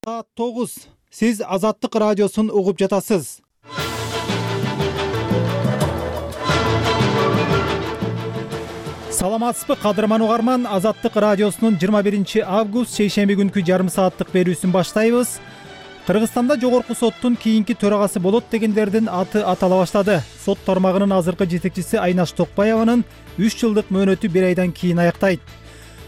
Саат 9. Сиз Азаттык радиосун угуп жатасыз. Саламатсызбы кадырман угарман, Азаттык радиосунун 21 август шейшемби күнкү жарым сааттык берүүсүн баштайбыз. Кыргызстанда жогорку соттун кийинки төрагасы болот дегендердин аты атала баштады. Сот тармагынын азыркы жетекчиси Айнаш Токпаеванын 3 жылдык мөөнөтү 1 айдан кийин аяктайт.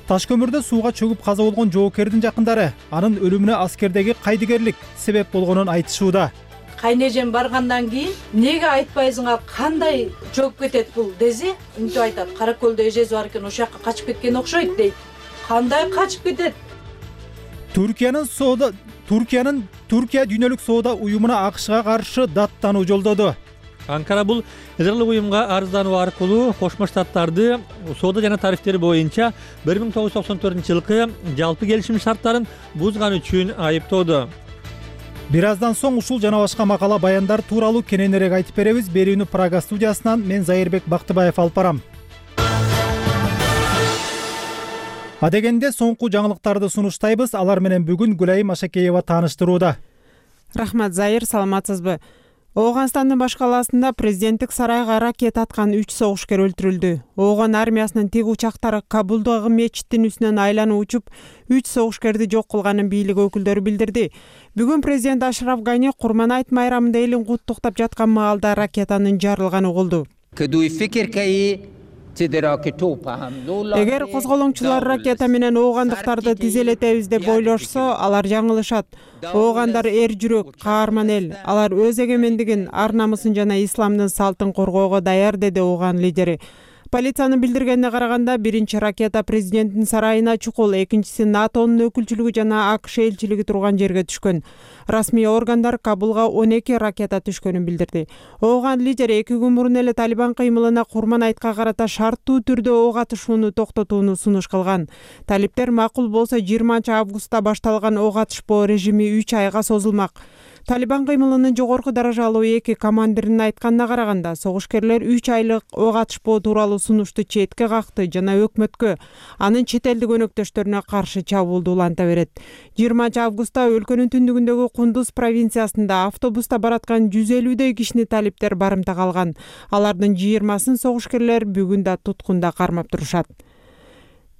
Таш көмүрдө сууга чөгүп каза болгон жоокердин жакындары анын өлүмүнө аскердеги кайдыгерлик себеп болгонун айтышууда. Кайнежем баргандан кийин неге айтпайсыңар, кандай жөөп кетет бул десе, мынтип айтат. Каракөлдө эжеси бар экен, ошол жака качып кеткен окшойт дейт. Кандай качып кетет? Түркия дүйнөлүк соода уюмуна АКШга каршы даттануу жолдоду. Анкара бул Израилдик уюмга арыздануу аркылуу Кошмо Штаттарды соода жана тарифтери боюнча 1994-жылкы жалпы келишим шарттарын бузган үчүн айыптоодо. Бир аздан соң ушул жана башка макала баяндар тууралуу кененирээк айтып беребиз. Берүүнү Прага студиясынан мен Зайырбек Бактыбаев алып барам. Адегенде соңку жаңылыктарды сунуштайбыз. Алар менен бүгүн Гүлайым Ашакеева тааныштырууда. Рахмат, Зайыр, саламатсызбы? Ооганстандын баш калаасында президенттик сарайга ракета аткан 3 согушкер өлтүрүлдү. Ооган армиясынын тиг учактары Кабулдагы мечиттин үстүнөн айланып учуп, 3 согушкерди жок кылганын бийлик өкүлдөрү билдирди. Бүгүн президент Ашраф Гани Курман айт майрамында элин куттуктап жаткан маалда ракетанын жарылганы угулду. Эгер козголоңчулар ракета менен оогандыктарды тизелетебиз деп ойлошсо, алар жаңылышат. Оогандар эр жүрөк, каарман эл. Алар өз эгемендигин, ар намысын жана исламдын салтын коргоого даяр, деди ооган лидери. Полициянын билдиргенине караганда, биринчи ракета президенттин сарайына чукул, экинчиси НАТОнун өкүлчүлүгү жана АКШ элчилиги турган жерге түшкөн. Расмий органдар Кабулга 12 ракета түшкөнүн билдирди. Ооган лидер 2 күн мурун эле Талибан кыймылына Курман айтка карата шарттуу түрдө ок атышууну токтотууну сунуш кылган. Талиптер макул болсо 20 августта башталган ок атышпоо режими 3 айга созулмак. Талибан кыймылынын жогорку даражалуу 2 командиринин айтканына караганда, согушкерлер 3 айлык ок атышпоо тууралуу сунушту четке какты жана өкмөткө, анын чет элдик өнөктөштөрүнө каршы чабуулду уланта берет. 20 августта өлкөнүн түндүгүндөгү Кундуз провинциясында автобуста бараткан 150 кишини талиптер барымтага алган. Алардын 20-сын согушкерлер бүгүн да туткунда кармап турушат.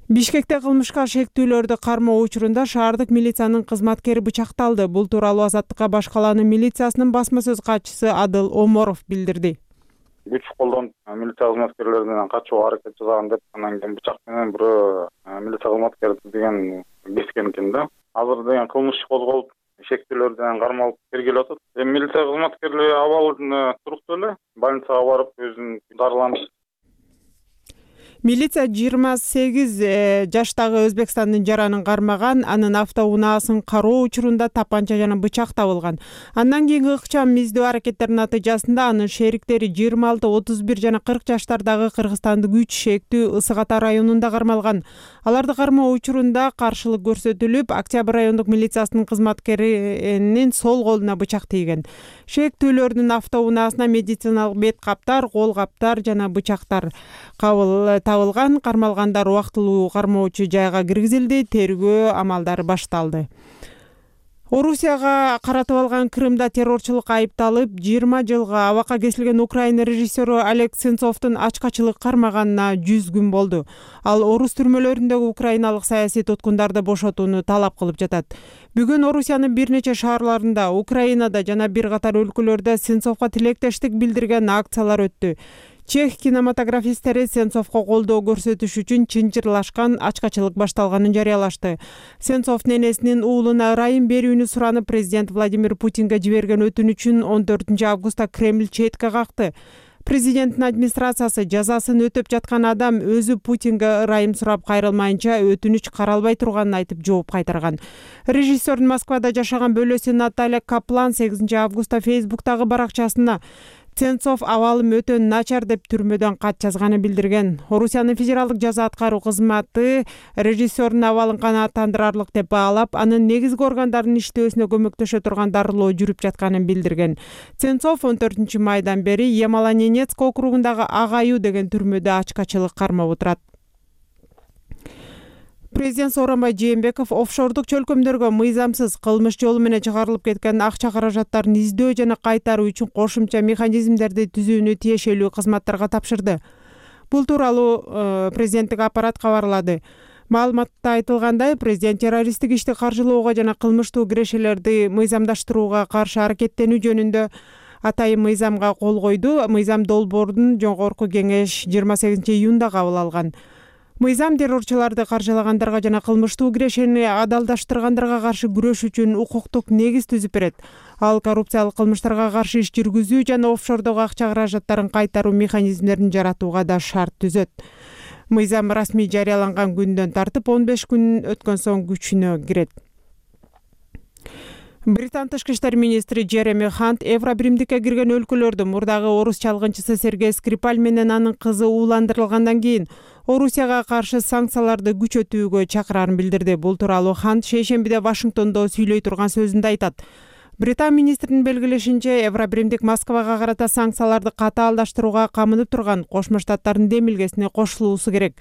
Бишкекте кылмышка шектүүлөрдү кармоо учурунда шаардык милициянын кызматкери бычакталды. Бул тууралуу Азаттыкка баш калаанын милициясынын басма сөз катчысы Адыл Оморов билдирди. Күч колдонуп милиция кызматкерлеринен качууга аракет жасаган деп, анан кийин бычак менен бирөө милиция кызматкери деген кескен экен да. Азыр деген кылмыш козголуп, шектүүлөрдөн кармалып тергелип атат. Милиция кызматкерлери абалы туруктуу эле, больницага барып өзүн дарыланды. Милиция 28 жаштагы Өзбекстандын жаранын кармаган, анын автоунаасын кароо учурунда тапанча жана бычак табылган. Андан кийинки ыкчам издөө аракеттеринин натыйжасында анын шериктери 26, 31 жана 40 жаштардагы Кыргызстандын Үч шектүү Ысык Ата районунда кармалган. Аларды кармоо учурунда каршылык көрсөтүлүп, Октябрь райондук милициясынын кызматкеринин сол колуна бычак тийген. Шектүүлөрдүн автоунаасына медициналык бет каптар, кол каптар жана бычактар табылган. Кармалгандар убактылуу кармоочу жайга киргизилди, тергөө амалдары башталды. Орусияга каратып алган Крымда террорчулукка айыпталып 20 жылга абакка кесилген Украина режиссеру Олег Сенцовдун ачкачылык кармаганына 100 күн болду. Ал орус түрмөлөрүндөгү украиналык саясий туткундарды бошотууну талап кылып жатат. Бүгүн Орусиянын бир нече шаарларында, Украинада жана бир катар өлкөлөрдө Сенцовго тилектештик билдирген акциялар өттү. Чех кинематографисттери Сенцовго колдоо көрсөтүш үчүн чынжырлашкан ачкачылык башталганын жарыялашты. Сенцовдун энесинин уулуна ырайым берүүнү суранып, президент Владимир Путинге жиберген өтүнүчүн 14 августта Кремль четке какты. Президенттин администрациясы жазасын өтөп жаткан адам өзү Путинге ырайым сурап кайрылмайынча өтүнүч каралбай турганын айтып жооп кайтарган. Режиссердин Москвада жашаган бөлөсү Наталья Каплан 8 августта Фейсбуктагы баракчасына Сенцов абалым өтө начар деп түрмөдөн кат жазганын билдирген. Орусиянын федералдык жаза аткаруу кызматы режиссердун абалын канааттандырарлык деп баалап, анын негизги органдардын иштөөсүнө көмөктөшө турган дарылоо жүрүп жатканын билдирген. Сенцов 14 майдан бери Ямало-Ненецк округундагы Ак аю деген түрмөдө ачкачылык кармап отурат. Президент Сооронбай Жээнбеков офшордук чөлкөмдөргө мыйзамсыз кылмыш жолу менен чыгарылып кеткен акча каражаттарын издөө жана кайтаруу үчүн кошумча механизмдерди түзүүнү тиешелүү кызматтарга тапшырды. Бул тууралуу президенттик аппарат кабарлады. Маалыматта айтылгандай, президент террористтик ишти каржылоого жана кылмыштуу кирешелерди мыйзамдаштырууга каршы аракеттенүү жөнүндө атайын мыйзамга кол койду. Мыйзам долбоорун жогорку кеңеш 28-июнда кабыл алган. Мыйзам террорчуларды каржылагандарга жана кылмыштуу кирешени адалдаштыргандарга каршы күрөш үчүн укуктук негиз түзүп берет. Ал коррупциялык кылмыштарга каршы иш жүргүзүү жана офшордогу акча каражаттарын кайтаруу механизмдерин жаратууга да шарт түзөт. Мыйзам расмий жарыяланган күндөн тартып 15 күн өткөн соң күчүнө кирет. Британ тышкы иштер министри Джереми Хант Евробиримдикке кирген өлкөлөрдө мурдагы орус чалгынчысы Сергей Скрипаль менен анын кызы ууландырылгандан кийин Орусияга каршы санкцияларды күчөтүүгө чакырарын билдирди. Бул тууралуу Хант шейшембиде Вашингтондо сүйлөй турган сөзүндө айтат. Британ министринин белгилешинче, Евробиримдик Москвага карата санкцияларды катаалдаштырууга камынып турган Кошмо Штаттардын демилгесине кошулуусу керек.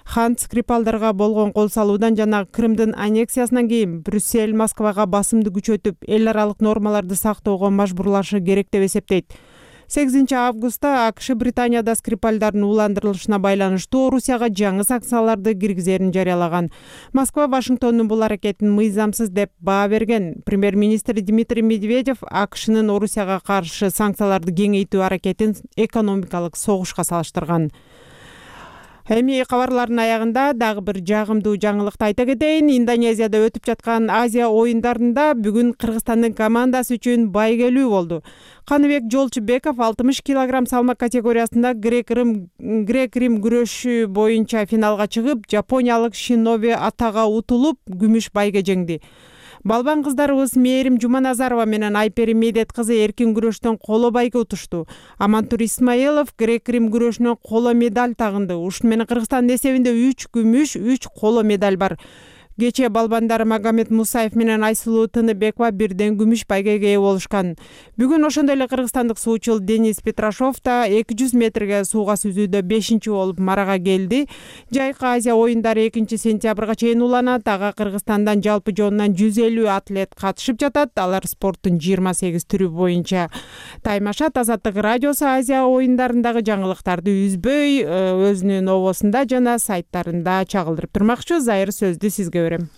Хант Скрипалдарга болгон кол салуудан жана Крымдын аннексиясынан кийин Брюссель Москвага басымды күчөтүп, эл аралык нормаларды сактоого мажбурлашы керек деп эсептейт. 8 августта АКШ Британияда Скрипальдардын ууландырылышына байланыштуу Орусияга жаңы санкцияларды киргизерин жарыялаган. Москва Вашингтондун бул аракетин мыйзамсыз деп баа берген. Премьер-министр Дмитрий Медведев АКШнын Орусияга каршы санкцияларды кеңейтүү аракетин экономикалык согушка салыштырган. Эми кабарлардын аягында дагы бир жагымдуу жаңылыкты айта кетейин. Индонезияда өтүп жаткан Азия оюндарында бүгүн Кыргызстандын командасы үчүн байгелүү болду. Каныбек Жолчубеков 60 кг салмак категориясында грек-рим күрөшү боюнча финалга чыгып, жапониялык Шиноби Атага утулуп, күмүш байге жеңди. Балбан кыздарыбыз Мээрим Жуманазарова менен Айпери Медет кызы эркин күрөштөн коло байге утушту. Амантур Исмаилов грек-рим күрөшүнөн коло медаль тагынды. Ушун менен Кыргызстандын эсебинде 3 күмүш, 3 коло медаль бар. Кечээ балбандар Магомед Мусаев менен Айсулуу Тыныбекова бирден күмүш байгеге ээ болушкан. Бүгүн ошондой эле кыргызстандык суучул Денис Петрашов да 200 метрге сууга сүзүүдө 5-чи болуп марага келди. Жайкы Азия оюндары 2-сентябрга чейин уланат. Ага Кыргызстандан жалпы жонунан 150 атлет катышып жатат. Алар спорттун 28 түрү боюнча таймашат. Азаттык радиосу Азия оюндарындагы жаңылыктарды үзбөй өзүнүн обосунда жана сайттарында чагылдырып турмакчы. Зайыр сөздү сизге берем.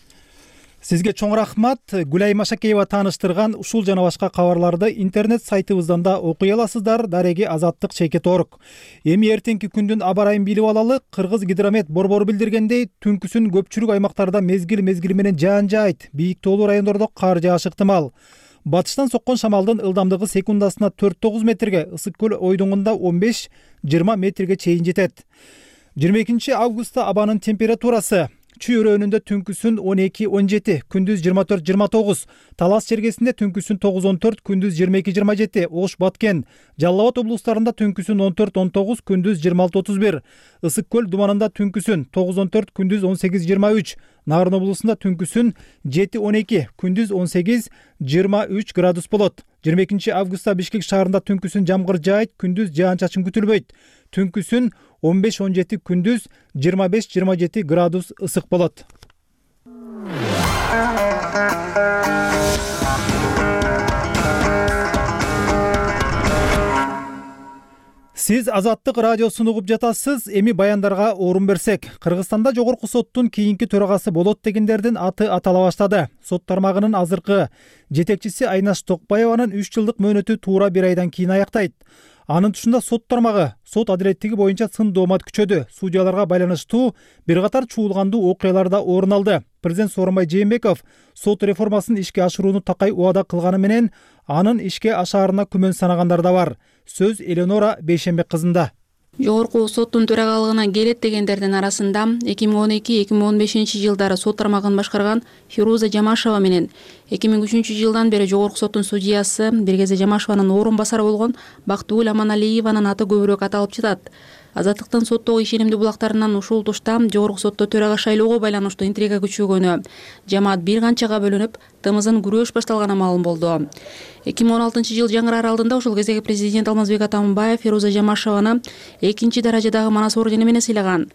Сизге чоң рахмат. Гүлай Машакеева тааныштырган ушул жана башка кабарларды интернет сайтыбыздан да окуй аласыздар. Дареги Азаттык.org. Эми эртеңки күндүн аба ырайын билип алалы. Кыргыз гидромет борбору билдиргендей, түнкүсүн көпчүлүк аймактарда мезгил менен жаан жаайт. Бийик тоолуу райондордо кар жаашы ыктымал. Батыштан соккон шамалдын ылдамдыгы секундасына 4-9 метрге, Ысык көл ойдоңунда 15-20 метрге чейин жетет. 22 августта абанын температурасы Чүй өрөөнүндө түнкүсүн 12-17, күндүз 24-29, Талас чергесинде түнкүсүн 9-14, күндүз 22-27, Ош Баткен, Жалал Абад облустарында түнкүсүн 14-19, күндүз 26-31, Ысык көл думанында түнкүсүн 9-14, күндүз 18-23, Нарын облусунда түнкүсүн 7-12, күндүз 18-23 градус болот. 22 августта Бишкек шаарында түнкүсүн жамгыр жаайт, күндүз жаан-чачын күтүлбөйт. Түнкүсүн 15-17, күндүз 25-27 градус ысык болот. Сиз Азаттык радиосун угуп жатасыз. Эми баяндарга орун берсек, Кыргызстанда жогорку соттун кийинки төрагасы болот дегендердин аты атала баштады. Сот тармагынын азыркы жетекчиси Айнаш Токпаеванын 3 жылдык мөөнөтү туура 1 айдан кийин аяктайт. Анын тушунда сот тармагы сот адилеттиги боюнча сын доомат күчөдү. Судьяларга байланыштуу бир катар чуулгандуу окуялар да орун алды. Президент Сооронбай Жээнбеков сот реформасын ишке ашырууну такай убада кылганы менен анын ишке ашаарына күмөн санагандар да бар. Сөз Эленора Бейшембек кызында. Жогорку соттун төрагалыгына келет дегендердин арасында 2012-2015 жылдары сот тармагын башкарган Фируза Жамашева менен 2003 жылдан бери жогорку соттун судьясы бир кезде Жамашеванын орун басары болгон Бактыгүл Аманалиеванын аты көбүрөөк аталып жатат. Азаттыктын соттогу ишенимдүү булактарынан ушул тушта жогорку сотто төрага шайлоого байланыштуу интрига күчөгөнү, жамаат бир канчага бөлүнүп, тымызын күрөш башталганы маалым болду. 2016 жыл жаңыраар алдында ушул кездеги президент Алмазбек Атамбаев Фируза Жамашеваны 2-даражадагы Манас ордени менен сыйлаган.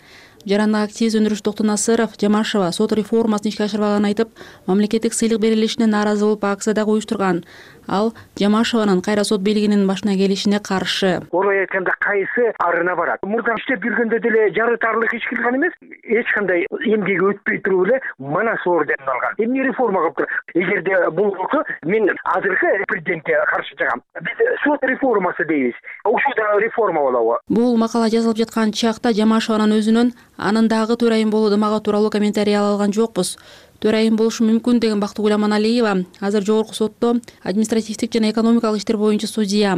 жарандык активист өндүрүш Токтонасыров Жамашева сот реформасын ишке ашырбаганын айтып, мамлекеттик сыйлык берилишине нааразы болуп акция дагы уюштурган. Ал Жамашеванын кайра сот бийлигинин башына келишине каршы. Орой айтканда кайсы арына барат. Мурда иштеп жүргөндө деле жарытарлык иш кылган эмес. Эч кандай эмгеги өтпөй туруп эле манас ордерин алган. Эмне реформа кылып тур? Эгерде бул болсо, мен азыркы президентке каршы чыгам. Биз сот реформасы дейбиз. Ушул да реформа болобу? Бул макала жазылып жаткан чакта Жамашеванын өзүнөн анын дагы төрайым болуу дымагы тууралуу комментарий ала алган жокпуз. Төрайым болушу мүмкүн деген Бактыгүл Аманалиева азыр жогорку сотто административдик жана экономикалык иштер боюнча судья.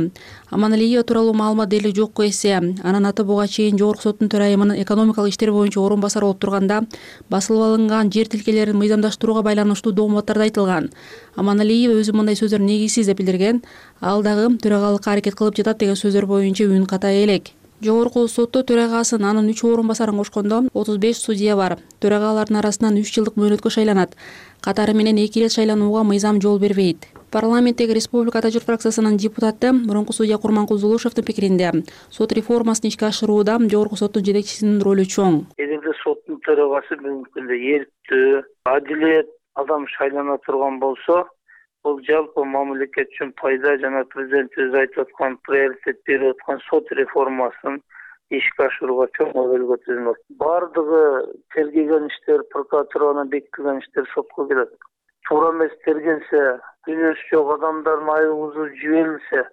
Аманалиева тууралуу маалымат дээрлик жокко эсе. Анын аты буга чейин жогорку соттун төрайымынын экономикалык иштер боюнча орун басары болуп турганда басылып алынган жер тилкелерин мыйзамдаштырууга байланыштуу документтарда айтылган. Аманалиева өзү мындай сөздөр негизсиз деп билдирген. Ал дагы төрагалыкка аракет кылып жатат деген сөздөр боюнча үн катай элек. Жогорку сотто төрагасын анын 3 орун басарын кошкондо 35 судья бар. Төрагалардын арасынан 3 жылдык мөөнөткө шайланат. Катары менен 2 ирет шайланууга мыйзам жол бербейт. Парламенттеги Республика Тажыр фракциясынын депутаты мурунку судья Курманкул Зулушевдин пикиринде сот реформасын ишке ашырууда жогорку соттун жетекчисинин ролу чоң. Эгерде соттун төрагасы мүмкүндө эрктүү, адилет адам шайлана турган болсо, бул жалпы мамлекет үчүн пайда жана президент өзү айтып аткан приоритет берип аткан сот реформасын ишке ашырууга чоң өбөлгө түзүлөт. Бардыгы тергеген иштер, прокуратуранын бекитилген иштер сотко келет. Туура эмес тергелсе, күнөөсү жок адамдардын айыбы жиберилсе,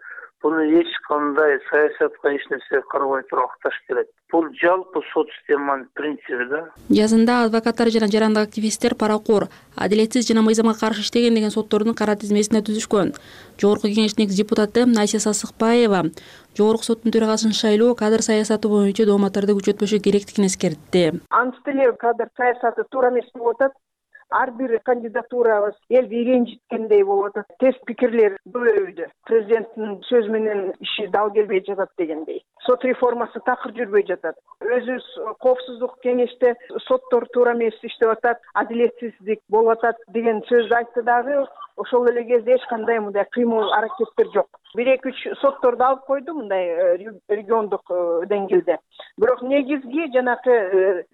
буну эч кандай саясатка эч нерсе карабай туруп акташ керек. Бул жалпы сот системанын принциби да. Жазында адвокаттар жана жарандык активисттер паракор, адилетсиз жана мыйзамга каршы иштеген деген соттордун кара тизмесине түзүшкөн. Жогорку кеңештин депутаты Айся Сасыкбаева жогорку соттун төрагасын шайлоо кадр саясаты боюнча дооматтарды күчөтпөшү керектигин эскертти. Анын эле кадр саясаты туура эмес болуп атат. Ар бир кандидатурабыз элди ренжиткендей болуп атат. Терс пикирлер көбөйдү. Президенттин сөзү менен иши дал келбей жатат дегендей. Сот реформасы такыр жүрбөй жатат. Өзүбүз коопсуздук кеңеште соттор туура эмес иштеп атат, адилетсиздик болуп атат деген сөздү айтты дагы. Ошол эле кезде эч кандай мындай кыймыл аракеттер жок. 1-2-3 сотторду алып койду мындай региондук деңгээлде. Бирок негизги жанакы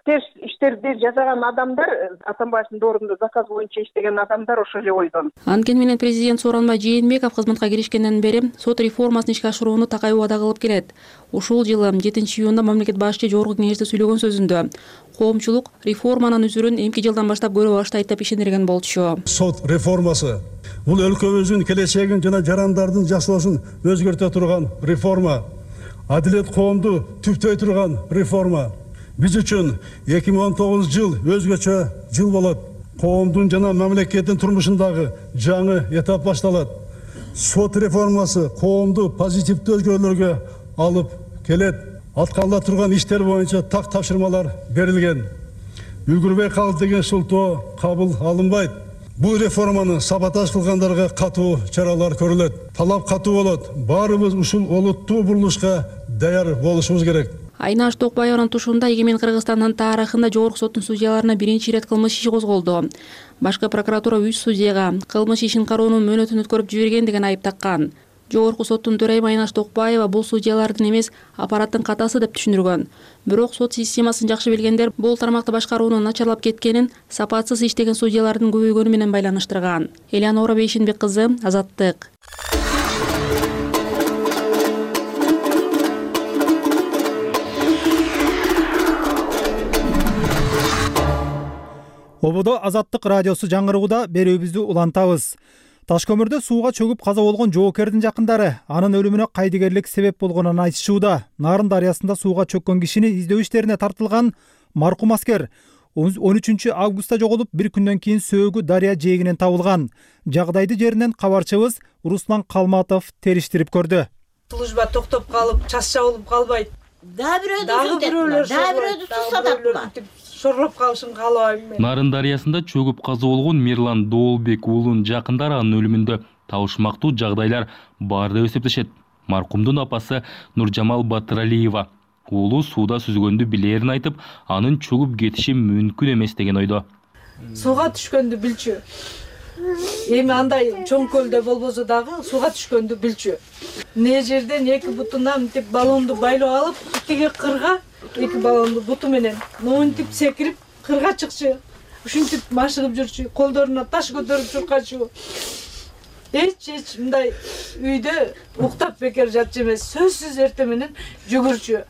терс иштерди жасаган адамдар, Атамбаевдин доорунда заказ боюнча иштеген адамдар ошол эле ойдон. Анткени менен президент Сооронбай Жээнбеков кызматка киришкенден бери сот реформасын ишке ашырууну такай убада кылып келет. Ушул жылы 7-июнда мамлекет башчы жогорку кеңеште сүйлөгөн сөзүндө коомчулук реформанын үзүрүн эмки жылдан баштап көрө баштайт деп ишендирген болчу. Сот реформасы бул өлкөбүздүн келечегин жана жарандардын жашоосун өзгөртө турган реформа. Адилет коомду түптөй турган реформа. Биз үчүн 2019 жыл өзгөчө жыл болот. Коомдун жана мамлекеттин турмушундагы жаңы этап башталат. Сот реформасы коомду позитивдүү өзгөрүүлөргө алып келет. Аткарыла турган иштер боюнча так тапшырмалар берилген. Үлгүрбөй калды деген шылтоо кабыл алынбайт. Бул реформаны саботаж кылгандарга катуу чаралар көрүлөт. Талап катуу болот. Баарыбыз ушул олуттуу бурулушка даяр болушубуз керек. Айнаш Токбаеванын тушунда эгемен Кыргызстандын тарыхында жогорку соттун судьяларына биринчи ирет кылмыш иши козголду. Башкы прокуратура 3 судьяга кылмыш ишин кароонун мөөнөтүн өткөрүп жиберген деген айып таккан. Жогорку соттун төрайымы Айнаш Токбаева бул судьялардын эмес, аппараттын катасы деп түшүндүргөн. Бирок сот системасын жакшы билгендер бул тармакты башкаруунун начарлап кеткенин сапатсыз иштеген судьялардын көбөйгөнү менен байланыштырган. Элеонора Бейшенбек кызы, Азаттык. Ободо Азаттык радиосу жаңырыгуда берүүбүздү улантабыз. Ташкөмүрдө сууга чөгүп каза болгон жоокердин жакындары анын өлүмүнө кайдыгерлик себеп болгонун айтышууда. Нарын дарыясында сууга чөккөн кишини издөө иштерине тартылган маркум аскер 13 августта жоголуп, бир күндөн кийин сөөгү дарыя жээгинен табылган. Жагдайды жеринен кабарчыбыз Руслан Калматов териштирип көрдү. Служба токтоп калып, час жабылып калбайт. Дагы бирөөлөр сусатат. Шорлоп калышын каалабайм мен. Нарын дарыясында чөгүп каза болгон Мирлан Доолбек уулунун жакындары анын өлүмүндө табышмактуу жагдайлар бар деп эсептешет. Маркумдун апасы Нуржамал Батыралиева уулу сууда сүзгөндү билерин айтып, анын чөгүп кетиши мүмкүн эмес деген ойдо. Сууга түшкөндү билчү. Эми андай чоң көлдө болбосо дагы сууга түшкөндү билчү. Не жерден эки бутунан мынтип баллонду байлап алып, итиги кырга эки баламды буту менен монтип секирип кырга чыкчу, ушинтип машыгып жүрчү, колдоруна таш көтөрүп чуркачу. Эч мындай үйдө уктап бекер жатчу эмес, сөзсүз эртең менен жүгүрчү.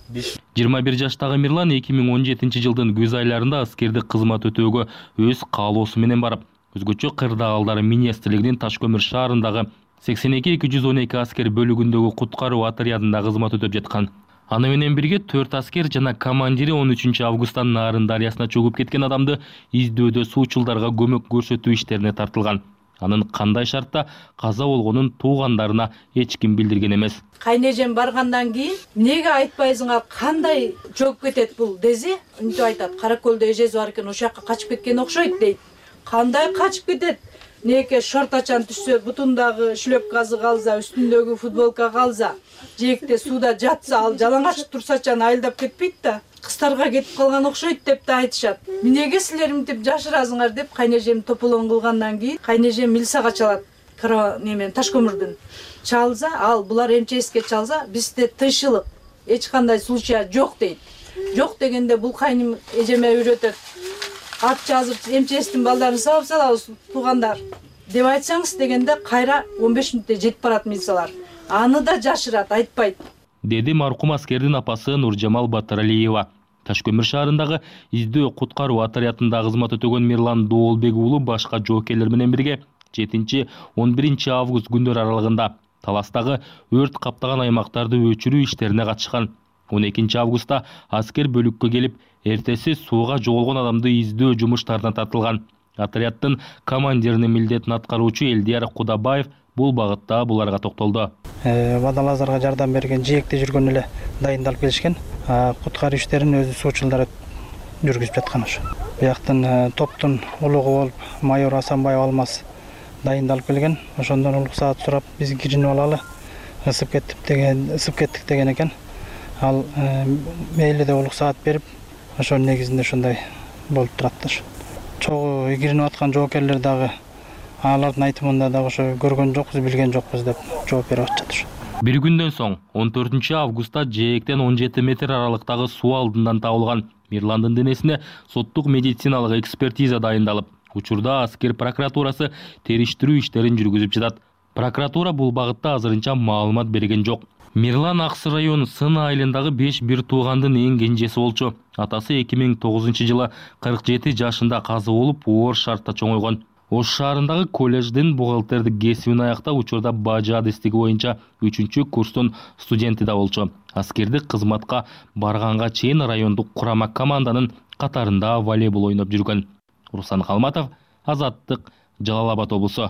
21 жаштагы Мирлан 2017 жылдын күз айларында аскердик кызмат өтөөгө өз каалоосу менен барып, өзгөчө кырдаалдар министрлигинин Ташкөмүр шаарындагы 82-212 аскер бөлүгүндөгү куткаруу отрядында кызмат өтөп жаткан. Аны менен бирге 4 аскер жана командири 13 августтан Нарын дарыясына чөгүп кеткен адамды издөөдө суучулдарга көмөк көрсөтүү иштерине тартылган. Анын кандай шартта каза болгонун туугандарына эч ким билдирген эмес. Кайнежем баргандан кийин эмнеге айтпайсыңар, кандай чөгүп кетет бул десе, үнтүп айтат, Каракөлдө эжеси бар экен, ошол жака качып кеткен окшойт дейт. Кандай качып кетет? Неке шортачан түшсө, бутундагы шлепкасы калса, үстүндөгү футболка калса, жээкте сууда жатса, ал жалаңач турсачан айылдап кетпейт да. Кыстарга кетип калган окшойт деп да айтышат. Эмнеге силер мынтип жашырасыңар деп кайнежем тополоң кылгандан кийин кайнежем милицияга чалат. Немен Ташкөмүрдүн. Чалса, ал булар МЧСке чалса, бизде тынччылык, эч кандай случай жок дейт. Жок дегенде бул кайным эжеме үйрөтөт. Ат жазып МЧСтин балдарын сабап салабыз туугандар деп айтсаңыз дегенде кайра 15 мүнөттө жетип барат милициялар. Аны да жашырат, айтпайт. Деди маркум аскердин апасы Нуржамал Батыралиева. Ташкөмүр шаарындагы издөө куткаруу отрядында кызмат өтөгөн Мирлан Доолбек уулу башка жоокерлер менен бирге 7-11 август күндөр аралыгында Таластагы өрт каптаган аймактарды өчүрүү иштерине катышкан. 12 августта аскер бөлүккө келип, эртеси сууга жоголгон адамды издөө жумуштарына тартылган. Отряддын командиринин милдетин аткаруучу Элдияр Кудабаев бул багытта буларга токтолду. Водолаздарга жардам берген жээкте жүргөн эле дайындалып келишкен. Куткаруу иштерин өзү суучулдар жүргүзүп жаткан ошо. Бияктын топтун улугу болуп майор Асанбаев Алмаз дайындалып келген. Ошондон уруксаат сурап, биз киринип алалы, ысып кеттик деген экен. Ал мейли деп уруксаат берип, ошонун негизинде ошондой болуп турат. Чогуу киринип аткан жоокерлер дагы алардын айтымында дагы ошо көргөн жокпуз, билген жокпуз деп жооп берип атышат. Бир күндөн соң 14 августта жээктен 17 метр аралыктагы суу алдынан табылган Мирландын денесине соттук медициналык экспертиза дайындалып, учурда аскер прокуратурасы териштирүү иштерин жүргүзүп жатат. Прокуратура бул багытта азырынча маалымат берген жок. Мирлан Аксы району Сын айылындагы 5 бир туугандын эң кенжеси болчу. Атасы 2009 жылы 47 жашында каза болуп, оор шартта чоңойгон. Ош шаарындагы колледждин бухгалтердик кесибин аяктап, учурда бажы адестиги боюнча 3-курстун студенти да болчу. Аскердик кызматка барганга чейин райондук курама команданын катарында волейбол ойноп жүргөн. Руслан Калматов, Азаттык, Жалал Абад облусу.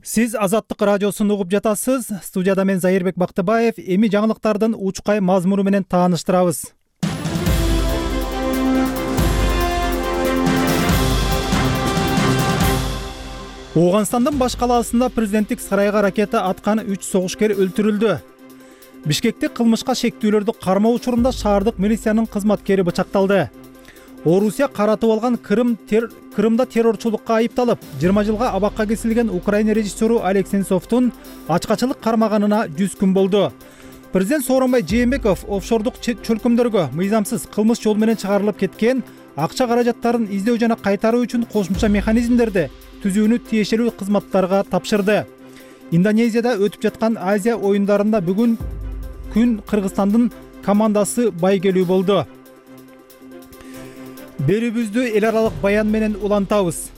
Сиз Азаттык радиосун угуп жатасыз. Студияда мен Зайырбек Бактыбаев. Эми жаңылыктардын учкай мазмуну менен тааныштырабыз. Ооганстандын баш калаасында президенттик сарайга ракета аткан 3 согушкер өлтүрүлдү. Бишкекте кылмышка шектүүлөрдү кармоо учурунда шаардык милициянын кызматкери бычакталды. Орусия каратып алган Крымда террорчулукка айыпталып, 20 жылга абакка кесилген Украина режиссеру Олег Сенцовдун ачкачылык кармаганына 100 күн болду. Президент Сооронбай Жээнбеков офшордук чөлкөмдөргө мыйзамсыз кылмыш жол менен чыгарылып кеткен акча каражаттарын издөө жана кайтаруу үчүн кошумча механизмдерди түзүүнү тиешелүү кызматтарга тапшырды. Индонезияда өтүп жаткан Азия оюндарында бүгүн күн Кыргызстандын командасы байгелүү болду. Берүүбүздү эл аралык баян менен улантабыз.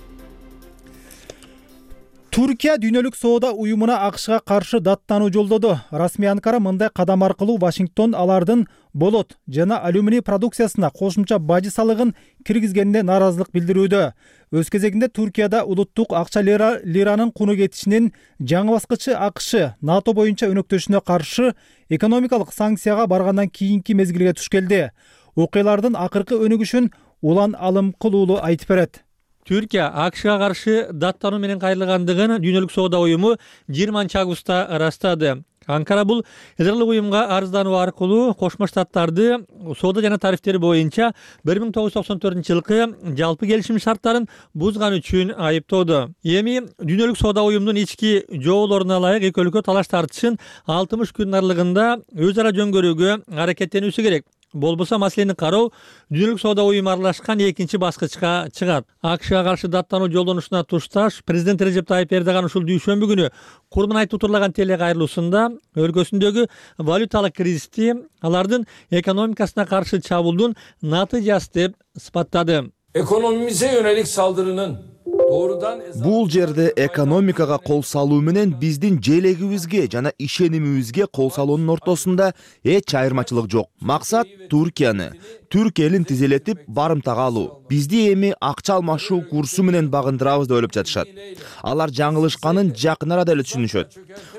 Туркия дүйнөлүк соода уюмуна АКШга каршы даттануу жолдоду. Расмий Анкара мындай кадам аркылуу Вашингтон алардын болот жана алюминий продукциясына кошумча бажы салыгын киргизгенине нааразылык билдирүүдө. Өз кезегинде Туркияда улуттук акча лиранын куну кетишинин жаңы баскычы АКШ НАТО боюнча өнөктөшүнө каршы экономикалык санкцияга баргандан кийинки мезгилге туш келди. Окуялардын акыркы өнүгүшүн Улан Алымкулуулу айтып берет. Түркия АКШга каршы даттануу менен кайрылгандыгын дүйнөлүк соода уюму 20 августта ырастады. Анкара бул Эдерлик уюмга арыздануу аркылуу Кошмо Штаттарды соода жана тарифтери боюнча 1994 жылкы жалпы келишим шарттарын бузган үчүн айыптоодо. Эми дүйнөлүк соода уюмунун ички жоолоруна ылайык эки өлкө талаш тартышын 60 күн аралыгында өз ара жөн көрүүгө аракеттенүүсү керек. болбосо маселени кароо Дүйнөлүк соода уюму аралашкан экинчи баскычка чыгат. АКШга каршы даттануу жолдонушуна тушташ президент Режеп Тайип Эрдоган ушул дүйшөмбү күнү курман айтып утурлаган телекайрылуусунда өлкөсүндөгү валюталык кризисти алардын экономикасына каршы чабуулдун натыйжасы деп сыпаттады. Ekonomimize yönelik saldırının doğrudan Бул жерде экономикага кол салуу менен биздин желегибизге жана ишенимибизге кол салуунун ортосунда эч айырмачылык жок. Максат Түркияны, Түрк элин тизелетип барымтага алуу. Бизди эми акча алмашуу курсу менен багындырабыз деп ойлоп жатышат. Алар жаңылышканын жакын арада эле түшүнүшөт.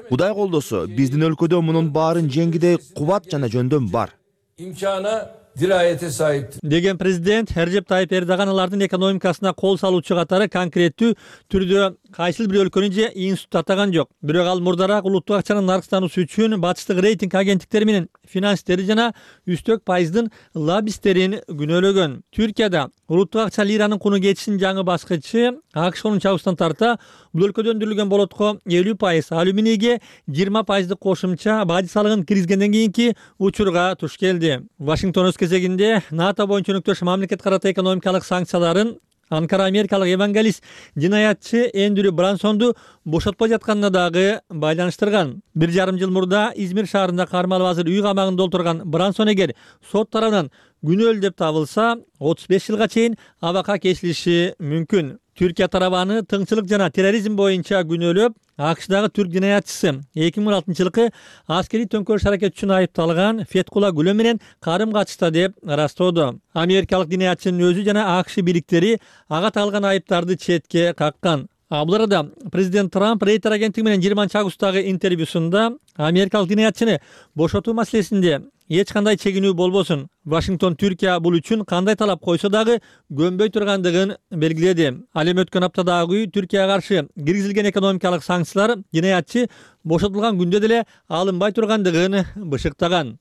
Кудай колдосо, биздин өлкөдө мунун баарын жеңгидей кубат жана жөндөм бар. imkana dirayete sahiptir. Деген президент Режеп Тайип Эрдоган алардын экономикасына кол салуучу катары конкреттүү түрдө кайсыл бир өлкөнү же институт атаган жок. Бирок ал мурдараак улуттук акчанын наркстануусу үчүн батыштык рейтинг агенттиктери менен финансисттери жана үстөк пайыздын лоббисттерин күнөөлөгөн. Түркияда улуттук акча лиранын куну кетишинин жаңы баскычы АКШ 10 августтан тарта бул өлкөдө өндүрүлгөн болотко 50%, алюминийге 20% кошумча бажы салыгын киргизгенден кийинки учурга туш келди. Вашингтон өз кезегинде НАТО боюнча өнөктөш мамлекет карата экономикалык санкцияларын Анкара америкалык евангелист жинаятчы Эндрю Брансонду бошотпой жатканына дагы байланыштырган. 1,5 жыл мурда Измир шаарында кармалып азыр үй камагында отурган Брансон эгер сот тарабынан күнөөлүү деп табылса, 35 жылга чейин абакка кесилиши мүмкүн. Түркия тарабы аны тыңчылык жана терроризм боюнча күнөөлөп, АКШдагы түрк жинаятчысы 2016 жылкы аскерий төңкөрүш аракети үчүн айыпталган Феткула Гүлөм менен карым катышта деп ырастоодо. Америкалык жинаятчынын өзү жана АКШ бириктери ага тагылган айыптарды четке каккан. Бул арада президент Трамп Рейтер агенттиги менен 20 августтагы интервьюсунда америкалык жинаятчыны бошотуу маселесинде эч кандай чегинүү болбосун, Вашингтон Түркия бул үчүн кандай талап койсо дагы көнбөй тургандыгын белгиледи. Ал эми өткөн аптадагы Түркияга каршы киргизилген экономикалык санкциялар жинаятчы бошотулган күндө деле алынбай тургандыгын бышыктаган.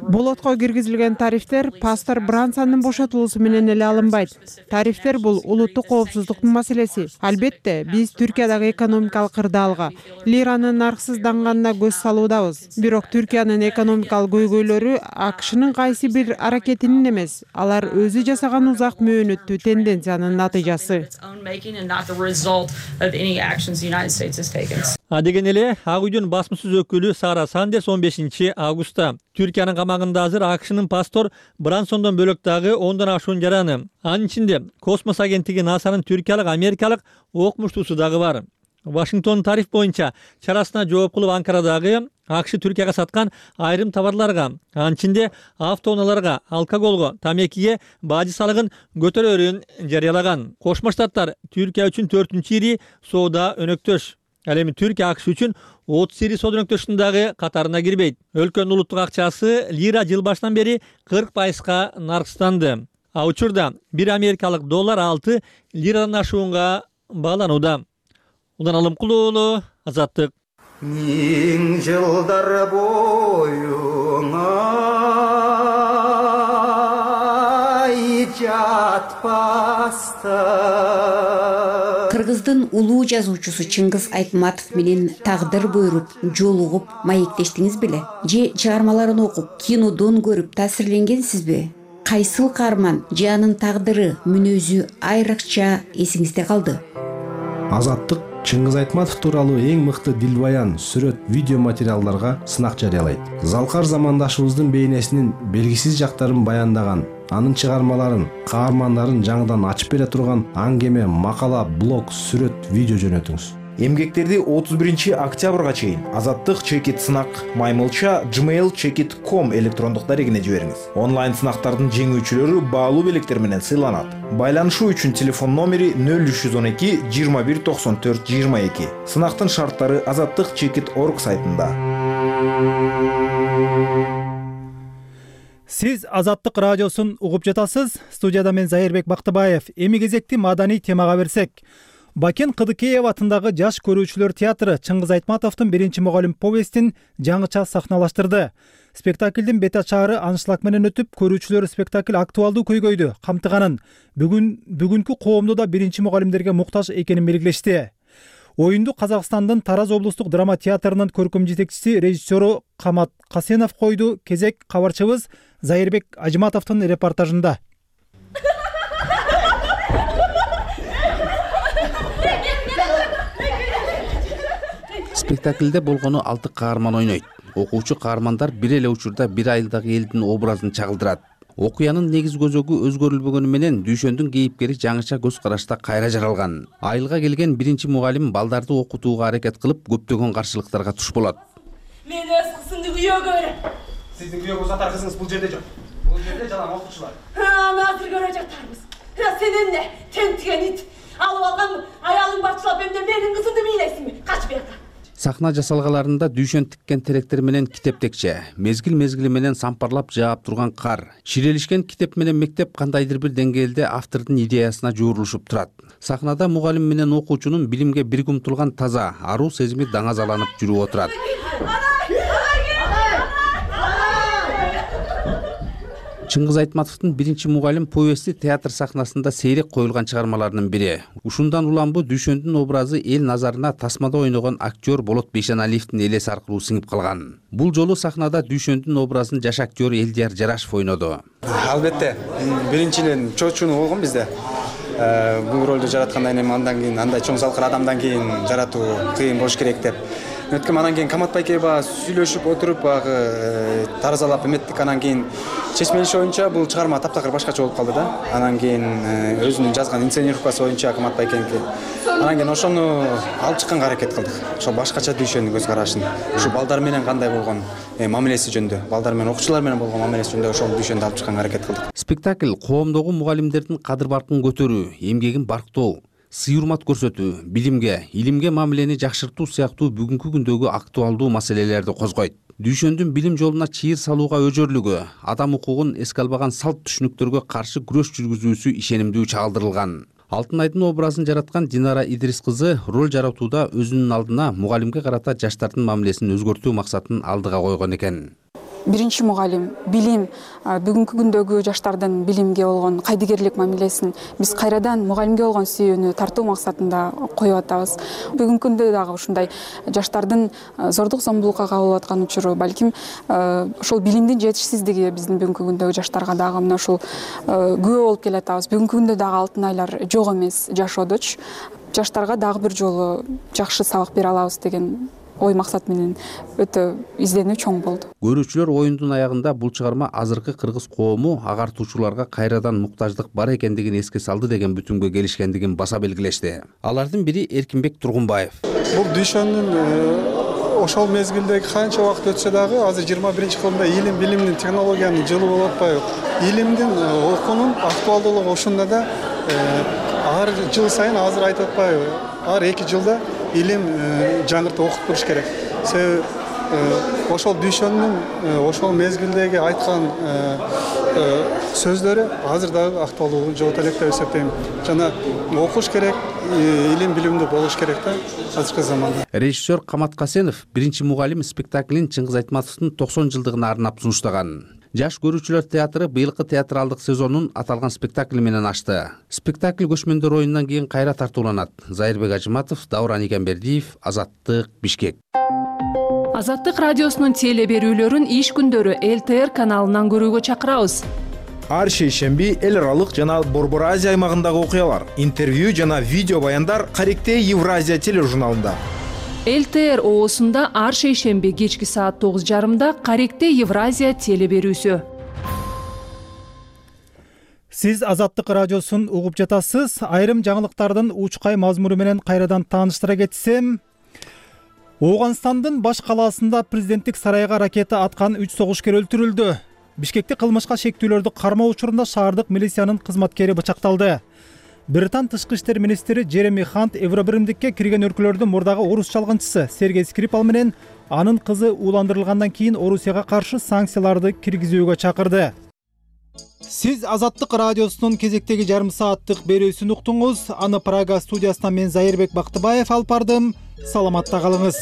Болотко киргизилген тарифтер пастор Брансондун бошотулуусу менен эле алынбайт. Тарифтер бул улуттук коопсуздуктун маселеси. Албетте, биз Түркиядагы экономикалык кырдаалга, лиранын нарксызданганына көз салуудабыз. Бирок Түркиянын экономикалык көйгөйлөрү АКШнын кайсы бир аракетинин эмес, алар өзү жасаган узак мөөнөттүү тенденциянын натыйжасы. Деген эле Ак үйдүн басмысыз өкүлү Сара Сандерс 15 августта Түркиянын камагында азыр АКШнын пастор Брансондон бөлөк дагы 10дон ашуун жараны. Анын ичинде космос агенттиги НАСАнын түркиялык, америкалык окумуштуусу дагы бар. Вашингтон тариф боюнча чарасына жооп кылып Анкарадагы АКШ Түркияга саткан айрым товарларга, анын ичинде автоунааларга, алкоголго, тамекиге бажы салыгын көтөрөөрүн жарыялаган. Кошмо Штаттар Түркия үчүн 4-чү ири соода өнөктөш. Ал эми Түркия АКШ үчүн 30 ири соода өнөктөштүн дагы катарына кирбейт. Өлкөнүн улуттук акчасы лира жыл башынан бери 40%га наркстанды. А учурда 1 америкалык доллар 6 лирадан ашуунга бааланууда. Удан Алымкулуулу, Азаттык. Миң жылдар боюңа жатпаста. Кыргыздын улуу жазуучусу Чыңгыз Айтматов менен тагдыр буйруп, жолугуп, маектештиңиз беле? Же чыгармаларын окуп, кинодон көрүп таасирленгенсизби? Кайсыл каарман же анын тагдыры, мүнөзү айрыкча эсиңизде калды? Азаттык Чыңгыз Айтматов тууралуу эң мыкты дилбаян, сүрөт, видео материалдарга сынак жарыялайт. Залкар замандашыбыздын бейнесинин белгисиз жактарын баяндаган, анын чыгармаларын, каармандарын жаңыдан ачып бере турган аңгеме, макала, блог, сүрөт, видео жөнөтүңүз. Эмгектерди 31 октябрга чейин Азаттык чекит сынак маймылча gmail.com электрондук дарегине жибериңиз. Онлайн сынактардын жеңүүчүлөрү баалуу белектер менен сыйланат. Байланышуу үчүн телефон номери 0312 21 94 22. Сынактын шарттары azattikchekit.org сайтында. Сиз Азаттык радиосун угуп жатасыз. Студияда мен Зайырбек Бактыбаев. Эми кезекти маданий темага берсек. Бакен Кыдыкеев атындагы жаш көрүүчүлөр театры Чыңгыз Айтматовдун 1-мугалим повестин жаңыча сахналаштырды. Спектаклдин бет ачаары аншлаг менен өтүп, көрүүчүлөр спектакль актуалдуу көйгөйдү камтыганын, бүгүнкү коомдо да 1-мугалимдерге муктаж экенин белгилешти. Оюнду Казакстандын Тараз облустук драма театрынын көркөм жетекчиси режиссеру Камат Касенов койду. Кезек кабарчыбыз Зайырбек Ажыматовдун репортажында. Спектаклде болгону 6 каарман ойнойт. Окуучу каармандар бир эле учурда бир айылдагы элдин образын чагылдырат. Окуянын негиз көзөгү өзгөрүлбөгөнү менен дүйшөндүн кейипкери жаңыча көз карашта кайра жаралган. Айылга келген биринчи мугалим балдарды окутууга аракет кылып, көптөгөн каршылыктарга туш болот. Мен өз кызымды күйөөгө берем. Сиздин күйөөгө узатар кызыңыз бул жерде жок. Бул жерде жалаң окуучулар. Аны азыр көрө жатарбыз. Сен эмне? Тентиген ит. Алып алган аялың бачылап эмне менин кызымды мыйлайсыңбы? Кач бияка. Сахна жасалгаларында дүйшөн тиккен теректер менен китеп текче, мезгил менен сампарлап жаап турган кар, ширелишкен китеп менен мектеп кандайдыр бир деңгээлде автордун идеясына жуурулушуп турат. Сахнада мугалим менен окуучунун билимге бирге умтулган таза, аруу сезими даңазаланып жүрүп отурат. Чыңгыз Айтматовдун биринчи мугалим повести театр сахнасында сейрек коюлган чыгармаларынын бири. Ушундан улам дүйшөндүн образы эл назарына тасмада ойногон актер Болот Бейшеналиевдин элеси аркылуу сиңип калган. Бул жолу сахнада дүйшөндүн образын жаш актер Элдияр Жарашев ойноду. Албетте, биринчиден чочуну болгон бизде. Бул ролду жараткандан кийин андан кийин андай чоң салкыр адамдан кийин жаратуу кыйын болуш керек деп. Өткөн анан кийин Камат байке баягы сүйлөшүп отуруп баягы таразалап эметтик. Анан кийин чечмелиш боюнча бул чыгарма таптакыр башкача болуп калды да. Анан кийин өзүнүн жазган инсценировкасы боюнча Камат байкеники. Анан кийин ошону алып чыкканга аракет кылдык. Ошо башкача дүйшөндүн көз карашын, ушу балдар менен кандай болгон мамилеси жөнүндө, балдар менен окуучулар менен болгон мамилеси жөнүндө ошол дүйшөндү алып чыкканга аракет кылдык. Спектакль коомдогу мугалимдердин кадыр баркын көтөрүү, эмгегин барктоо, сый-урмат көрсөтүү, билимге, илимге мамилени жакшыртуу сыяктуу бүгүнкү күндөгү актуалдуу маселелерди козгойт. Дүйшөндүн билим жолуна чыйыр салууга өжөрлүгү, адам укугун эске албаган салт түшүнүктөргө каршы күрөш жүргүзүүсү ишенимдүү чагылдырылган. Алтынайдын образын жараткан Динара Идрис кызы роль жаратууда өзүнүн алдына мугалимге карата жаштардын мамилесин өзгөртүү максатын алдыга койгон экен. Биринчи мугалим, билим, бүгүнкү күндөгү жаштардын билимге болгон кайдыгерлик мамилесин биз кайрадан мугалимге болгон сүйүүнү тартуу максатында коюп атабыз. Бүгүнкү күндө дагы ушундай жаштардын зордук зомбулукка кабылып аткан учуру, балким ошол билимдин жетишсиздиги биздин бүгүнкү күндөгү жаштарга дагы мына ушул күбө болуп келатабыз. Бүгүнкү күндө дагы алтын айлар жок эмес жашоодочу. Жаштарга дагы бир жолу жакшы сабак бере алабыз деген ой максат менен өтө изденүү чоң болду. Көрүүчүлөр оюндун аягында бул чыгарма азыркы кыргыз коому агартуучуларга кайрадан муктаждык бар экендигин эске салды деген бүтүмгө келишкендигин баса белгилешти. Алардын бири Эркинбек Тургунбаев. Бул дүйшөндүн ошол мезгилдеги канча убакыт өтсө дагы азыр 21-кылымда илим, билимдин, технологиянын жылы болуп атпайбы? Илимдин, окуунун актуалдуулугу ушунда да ар жыл сайын азыр айтып атпайбы? Ар 2 жылда илим жаңыртып окуп туруш керек. Себеби ошол дүйшөндүн ошол мезгилдеги айткан сөздөрү азыр дагы актуалдуулугун жогото элек деп эсептейм. Жана окуш керек, илим билимдүү болуш керек да азыркы заманда. Режиссер Камат Касенов биринчи мугалим спектаклин Чыңгыз Айтматовдун 90 жылдыгына арнап сунуштаган. Жаш көрүүчүлөр театры быйылкы театралдык сезонун аталган спектакль менен ачты. Спектакль көчмөндөр оюнунан кийин кайра тартууланат. Зайырбек Ажыматов, Дауран Игенбердиев, Азаттык, Бишкек. Азаттык радиосунун теле берүүлөрүн иш күндөрү ЛТР каналынан көрүүгө чакырабыз. Ар шейшемби эл аралык жана Борбор Азия аймагындагы окуялар, интервью жана видео баяндар Каректе Евразия тележурналында. ЛТР оосунда ар шейшемби кечки саат 9:30 Каректе Евразия теле берүүсү. Сиз Азаттык радиосун угуп жатасыз. Айрым жаңылыктардын учкай мазмуну менен кайрадан тааныштыра кетсем, Ооганстандын баш калаасында президенттик сарайга ракета аткан 3 согушкер өлтүрүлдү. Бишкекте кылмышка шектүүлөрдү кармоо учурунда шаардык милициянын кызматкери бычакталды. Британ тышкы иштер министри Джереми Хант Евробиримдикке кирген өлкөлөрдүн мурдагы орус чалгынчысы Сергей Скрипал менен анын кызы ууландырылгандан кийин Орусияга каршы санкцияларды киргизүүгө чакырды. Сиз Азаттык радиосунун кезектеги жарым сааттык берүүсүн уктуңуз. Аны Прага студиясынан мен Зайырбек Бактыбаев алып бардым. Саламатта калыңыз.